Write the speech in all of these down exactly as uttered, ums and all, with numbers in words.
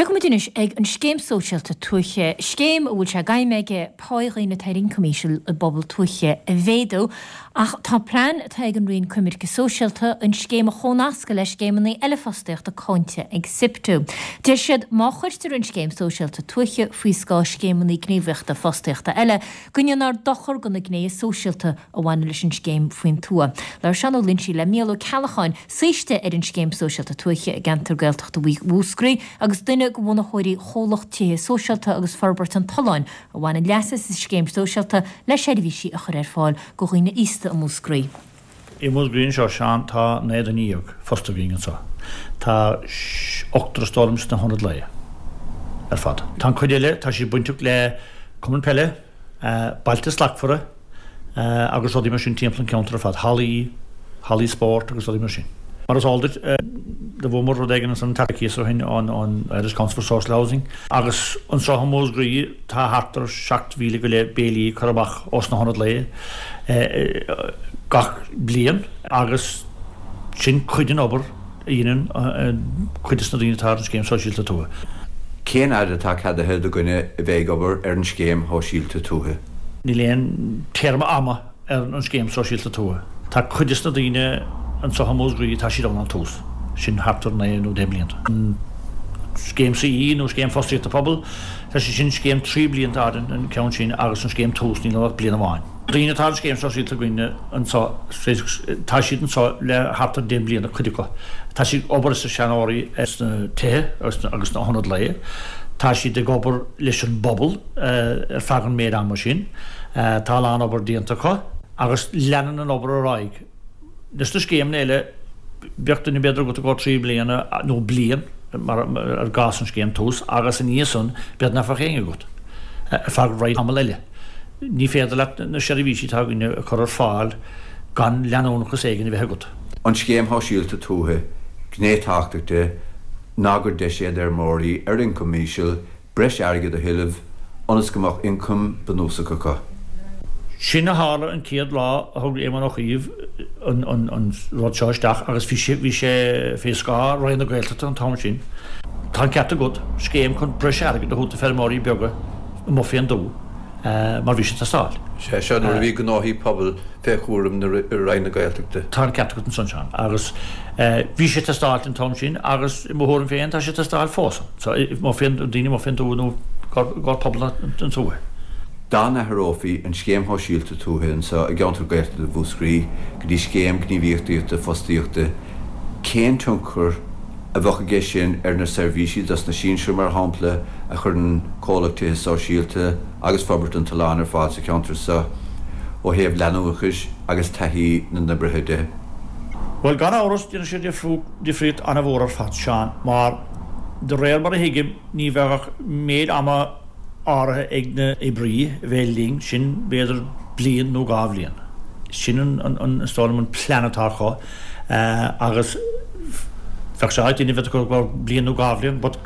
Tiocfaimid anois ag an scéim sóisialta tuaithe, scéim a bhfuil sé d'aidhm aici pá dhaoine atá ar ioncam íseal i bpobal tuaithe a mhéadú, ach tá plean atá ag an Roinn Coimirce Sóisialta an scéim a chónascadh le scéimeanna eile fostaíochta cáinte ag SIPTU. Deir siad má chuirtear an scéim sóisialta tuaithe faoi scáth scéimeanna gníomhaíochta fostaíochta eile, go ndéanfar dochar do na gnéithe sóisialta a bhaineann leis an scéim faoin tuath. Labhair Seán Ó Loinsigh le Mícheál Ó Ceallacháin, saoiste ar an scéim sóisialta tuaithe i gceantar Gaeltachta Mhúscraí agus duine de bhunaitheoirí chomhlacht tithe sóisialta agus forbairt an tSuláin a bhaineann leas as an scéim sóisialta le seirbhísí a chur ar fáil do dhaoine aosta i Múscraí. I Múscraí anseo Seán tá naoi nduine déag fostaithe againn anseo. Tá ochtar is dóigh liom sna hionaid lae ar fad. Tá an cuid eile tá siad bainteach le cumann peile, Bailte Slachtmhara agus rudaí mar sin timpeall an ceantar ar fad, hallaí, hallaí spóirt agus rudaí mar sin. Mar is eol duit do bhuamar rud éigin an tacaíocht ó shin an an Irish Council for Social Housing agus anseo i Múscraí tá thart ar seacht mhíle go leith béilí curtha amach ós na hionaid lae gach bliain agus sin cuid den obair a dhéanann cuid de na daoine atá ar an scéim sóisialta tuaithe. Cén fhad atá ceadaithe do dhuine a bheith ag obair ar an scéim shóisialta tuaithe? Níl aon téarma ama ar an scéim sóisialta tuaithe. Tá cuid de na daoine anseo i Múscraí tá siad ann ón tús, sin thart ar naoi nó deich mblianta. An scéim CE nó scéim fostaíochta pobail, tá sé sin scéim trí blianta fhad an ceann sin agus an scéim tús níl ach bliain amháin. Daoine atá an scéim sóisialta againne anseo tá siad anseo le thart ar deich mbliana cuid acu. Tá siad ag obair sna seanóirí sna tithe agus sna hionaid lae. Tá siad ag obair leis an bpobal ar feadh an méid ama sin. Tá a lán obair déanta acu agus leanann an obair ar aghaidh. Leis na scéimeanna eile bheadh duine b'fhéidir agat go trí bliana nó bliain mar ar gcás an scéim tús agus ina dhiaidh san b'fhéidir nach bheadh éinne agat ar feadh roinnt tamall eile. Ní féidir leat na seirbhísí atá againne a chur ar fáil gan leanúnachas éigin a bheith agat. An scéim shóisialta tuaithe, gné tábhachtach de ná gur deis é d'fheirmeoirí ar ioncam íseal breis airgid a thuilleamh ionas go mbeadh ioncam bunúsach acu. Sin a tharla an chéad lá a thug Éamon Ó Cuív an, an, an rud seo isteach agus bhí sé, bhí sé fé scáth Roinn na Gaeltachta an t-am sin. Tá an ceart agat, scéim chun breis airgid a thabhairt do feirmeoirí beaga amuigh fén dtuath mar bhí sé ag teastáil. Sé seo nuair a bhí gnóthaí pobail fé chúram na Roinn na Gaeltachta. Tá an ceart agat ansan Seán agus bhí sé ag teastáil an t-am sin agus i mo thuairim féin tá sé ag teastáil fós. So amuigh fén daoine amuigh fén dtuath nó gar pobal an tuaithe. Dá n-athrófaí an scéim shóisialta tuaithe anseo i gceantar Gaeltachta Mhúscraí go dtí scéim gníomhaíochta fostaíochta, cén tionchar a bheadh aige sin ar na seirbhísí dos na sinsir, mar shampla, a chuireann comhlacht tithe sóisialta agus forbairt an tSuláin ar fáil sa cheantar seo ó thaobh leanúnachais agus taithí na n-oibrithe de? Bhuel, gan amhras, déanfaidh sé difríocht an-mhór ar fad, Seán, mar de réir mar a thuigim, ní bheadh ach méid ama áirithe ag na oibrí a bheith linn, sin b'fhéidir bliain nó dhá bhliain. Sin an, an, is dóigh liom an plean atá acu agus bheadh sé ait duine a bheith acu go bliain nó dhá bhliain, but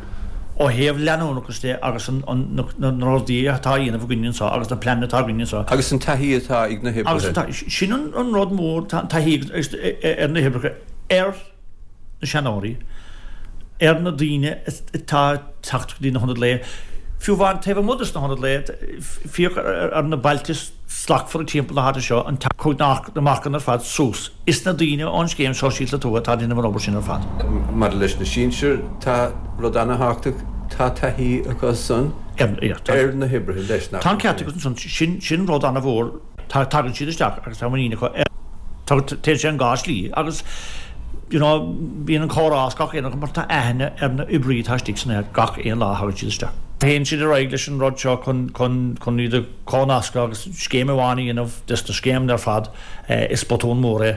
ó thaobh leanúnachas de agus an, an, na, na rudaí atá á dhéanamh againn anseo agus na pleananna atá againn anseo. Agus an taithí atá ag na hoibrithe. Agus an taithí, sin an, an rud mór, tá an taithí ar na hoibrithe ar na seanóirí, ar na daoine atá ag teacht go dtí na hionaid lae, fiú amháin taobh amuigh de na hionaid lae, féach ar na bailte slachtmhara timpeall na háite seo, an chuaigh na marcanna ar fad suas. Is na daoine ón scéim sóisialta tuaithe atá ag déanamh an obair sin ar fad. Maidir leis na sinsir, tá rud ana-thábhachtach, tá taithí acu san ar na hoibrithe leis, nach Tá an ceart agat ansan, sin sin rud ana-mhór. Tá, tagann siad isteach agus tá muinín acu ar, téann sé an dhá slí agus you know bíonn an comhrá as gach aon rud mar tá aithne ar na oibrí atá istigh san áit gach aon lá a thagann siad isteach. Téann siad ar aghaidh leis an rud seo chun chun chun iad a chomhnascadh agus scéim amháin a dhéanamh des na scéimeanna ar fad is botún mór é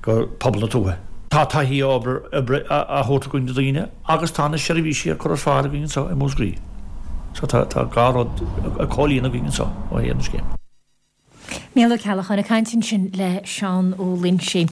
go pobal na tuaithe. Tá taithí oibre oibre á thabhairt againn do dhaoine agus tá na seirbhísí á cur ar fáil againn anseo i Múscraí. So tá tá dhá rud ag comhlíonadh againn anseo ó thaobh na scéime. Mícheál Ó Ceallacháin ag caint ansin le Seán Ó Loinsigh.